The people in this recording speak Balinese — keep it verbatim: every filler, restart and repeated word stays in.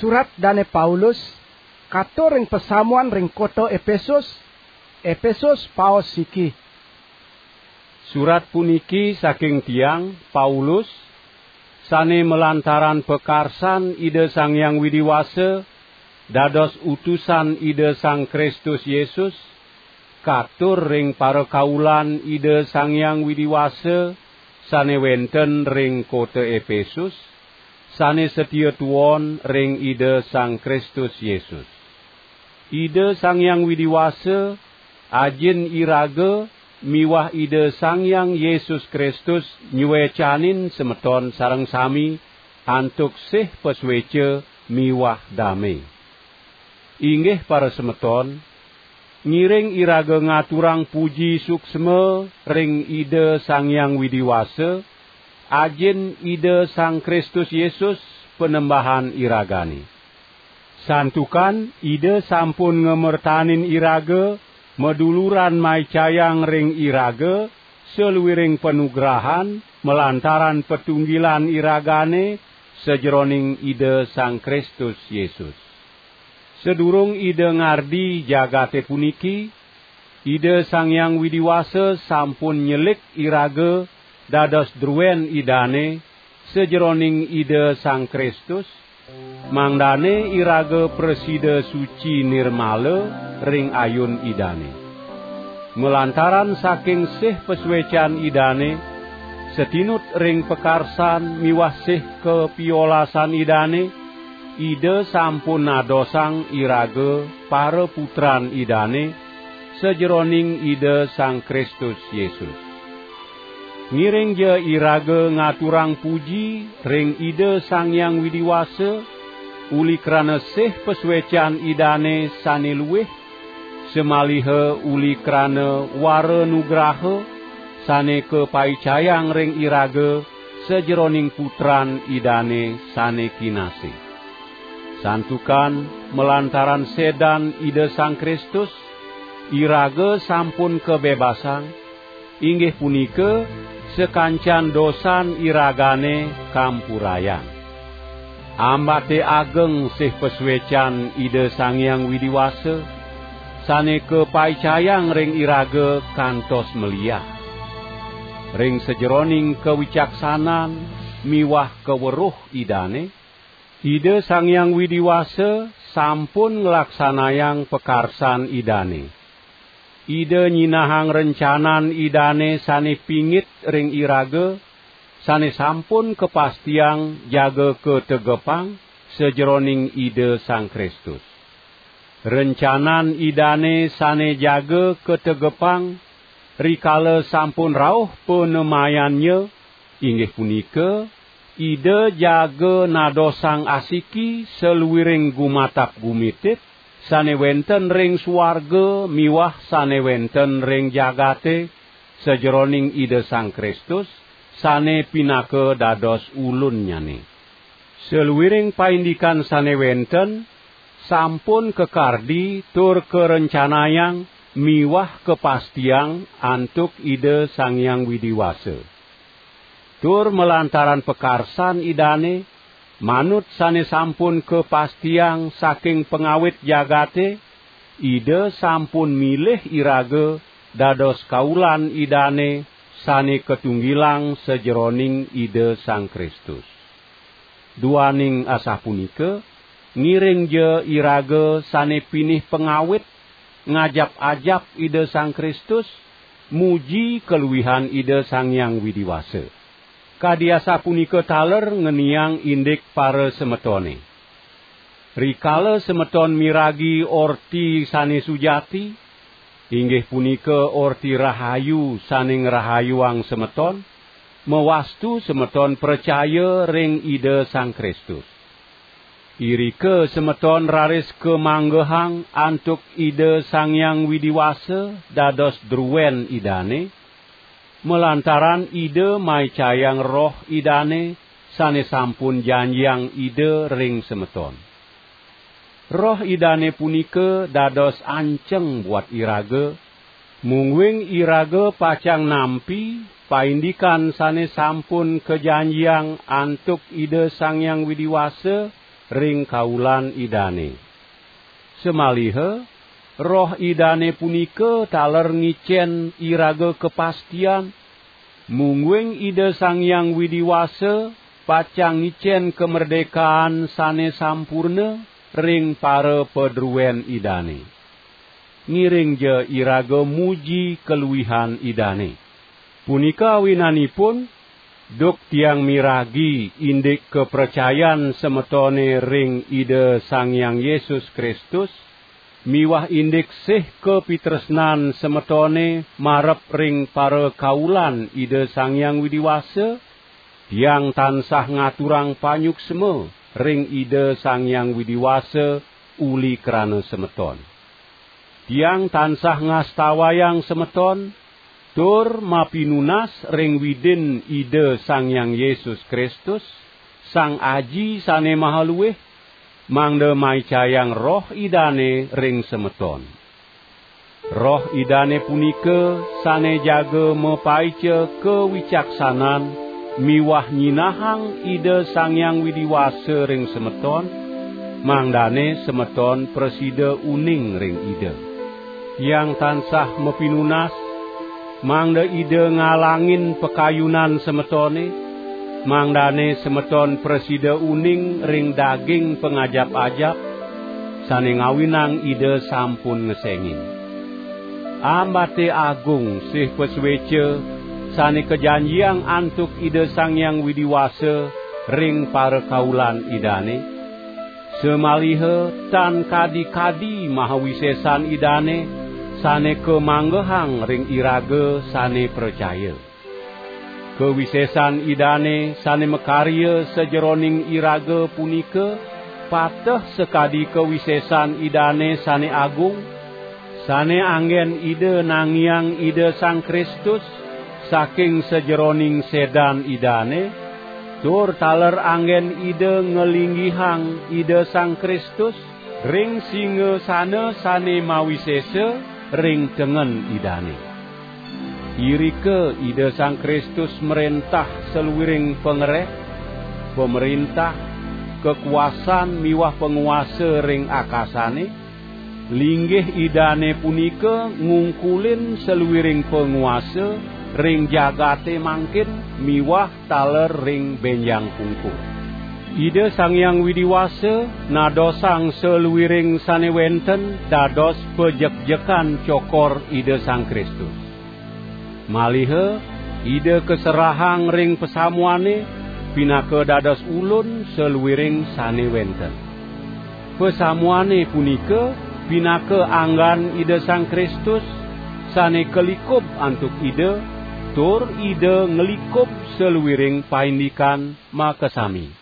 Surat Dane Paulus katur ring pasamuan ring kota Epesus. Epesus paos siki. Surat puniki saking tiang, Paulus, sane malantaran pakarsan Ida Sang Hyang Widi Wasa dados utusan Ida Sang Kristus Yesus, katur ring parakaulan Ida Sang Hyang Widi Wasa sane wenten ring kota Epesus, sane satia tuon ring Ida Sang Kristus Yesus. Ida Sang Hyang Widi Wasa, Ajin iraga, miwah Ida Sang Hyang Yesus Kristus nyuecanin semeton sareng sami antuk sih pasueca miwah dame. Inggih parasemeton, ngiring iraga ngaturang puji suksma ring Ida Sang Hyang Widi Wasa, Ajin Ida Sang Kristus Yesus, Panembahan iragane. Santukan Ida sampun ngamertanin iraga, maduluran maicayang ring iraga saluiring panugrahan malantaran patunggilan iragane sajeroning Ida Sang Kristus Yesus. Sadurung Ida ngardi jagate puniki, Ida Sang Hyang Widi Wasa sampun nyelik iraga dados druen Idane sajeroning Ida Sang Kristus, mangdane iraga prasida suci nirmala ring ayun Idane. Malantaran saking sih pasuecan Idane, satinut ring pakarsan miwah sih kapiolasan Idane, Ida sampun nadosang iraga paraputran Idane sajeroning Ida Sang Kristus Yesus. Ngiringja iraga ngaturang puji ring Ida Sang Hyang Widi Wasa, uli krana sih pasuecan Idane sane luih, samaliha uli krana wara nugraha sane kapaicayang ring iraga sajeroning Putran Idane sane kinasih. Santukan malantaran sedan Ida Sang Kristus, iraga sampun kabebasang, inggih punika, sakancan dosan iragane kampurayang. Ambate ageng sih pasuecan Ida Sang Hyang Widi Wasa, sane kapaicayang ring iraga kantos meliah. Ring sajeroning kawicaksanan miwah kaweruh Idane, Ida Sang Hyang Widi Wasa sampun nglaksanayang pakarsan Idane. Ida nyinahang rencanan Idane sane pingit ring iraga, sane sampun kapastiang jaga kategepang sajeroning Ida Sang Kristus. Rencanan Idane sane jaga kategepang rikala sampun rauh panemayannya, inggih punika, Ida jaga nadosang asiki saluiring gumatap gumitit, sane wenten ring suarga miwah sane wenten ring jagate, sajeroning Ida Sang Kristus, sane pinaka dados ulunnyane. Saluiring paindikan sane wenten, sampun kakardi tur karencanayang miwah kapastiang antuk Ida Sang Hyang Widi Wasa. Tur malantaran pakarsan Idane, manut sane sampun kapastiang saking pangawit jagate, Ida sampun milih iraga dados kaulan Idane sane katunggilang sajeroning Ida Sang Kristus. Duaning asapunika, ngiringja iraga sane pinih pangawit ngajap-ajap Ida Sang Kristus, muji kaluihan Ida Sang Hyang Widi Wasa. Kadi asapunika taler ngeniang indik parasemetone. Rikala semeton miragi orti sane sujati, inggih punika orti rahayu sane ngrahayuang semeton, mawastu semeton pracaya ring Ida Sang Kristus. Irika semeton raris kamanggehang antuk Ida Sang Hyang Widi Wasa dados druen Idane, malantaran Ida maicayang Roh Idane sane sampun janjiang Ida ring semeton. Roh Idane punika dados anceng buat iraga, mungguing iraga pacang nampi paindikan sane sampun kajanjiang antuk Ida Sang Hyang Widi Wasa ring kaulan Idane. Samaliha Roh Idane punika taler ngicen iraga kapastian, mungguing Ida Sang Hyang Widi Wasa pacang ngicen kamerdekaan sane sampurna ring parapadruen Idane. Ngiringja iraga muji kaluihan Idane. Punika awinanipun, duk tiang miragi indik kapracayan semetone ring Ida Sang Hyang Yesus Kristus, miwah indik sih kapitresnan semetone marep ring parakaulan Ida Sang Hyang Widi Wasa, tiang tansah ngaturang panyuksma ring Ida Sang Hyang Widi Wasa uli krana semeton. Tiang tansah ngastawayang semeton, tur mapinunas ring Widin Ida Sang Hyang Yesus Kristus, Sang Aji Sane Maha Luih, mangda maicayang Roh Idane ring semeton. Roh Idane punika sane jaga mapaica kawicaksanan miwah nyinahang Ida Sang Hyang Widi Wasa ring semeton, mangdane semeton prasida uning ring Ida. Tiang tansah mapinunas, mangda Ida ngalangin pakayunan semetone, mangdane semeton prasida uning ring daging pangajap-ajap, sane ngawinang Ida sampun ngesengin. Ambate agung sih pasueca sane kajanjiang antuk Ida Sang Hyang Widi Wasa ring parakaulan Idane, samaliha tan kadi-kadi mahawisesan Idane sane kamanggehang ring iraga sane pracaya. Kawisesan Idane sane makarya sajeroning iraga punika pateh sakadi kawisesan Idane sane agung, sane anggen Ida nangiang Ida Sang Kristus saking sajeroning sedan Idane, tur taler anggen Ida ngalinggihang Ida Sang Kristus ring singasana sane mawisesa ring tengen Idane. Irika Ida Sang Kristus mrentah saluiring pangreh, pamrentah, kakuasan miwah panguasa ring akasane. Linggih Idane punika ngungkulin saluiring panguasa ring jagate mangkin miwah taler ring benjang pungkur. Ida Sang Hyang Widi Wasa nadosang saluiring sane wenten dados pajekjekan cokor Ida Sang Kristus. Maliha Ida kaserahang ring pasamuane pinaka dados ulun saluiring sane wenten. Pasamuane punika pinaka anggan Ida Sang Kristus sane kalikub antuk Ida, tur Ida nglikub saluiring paindikan makasami.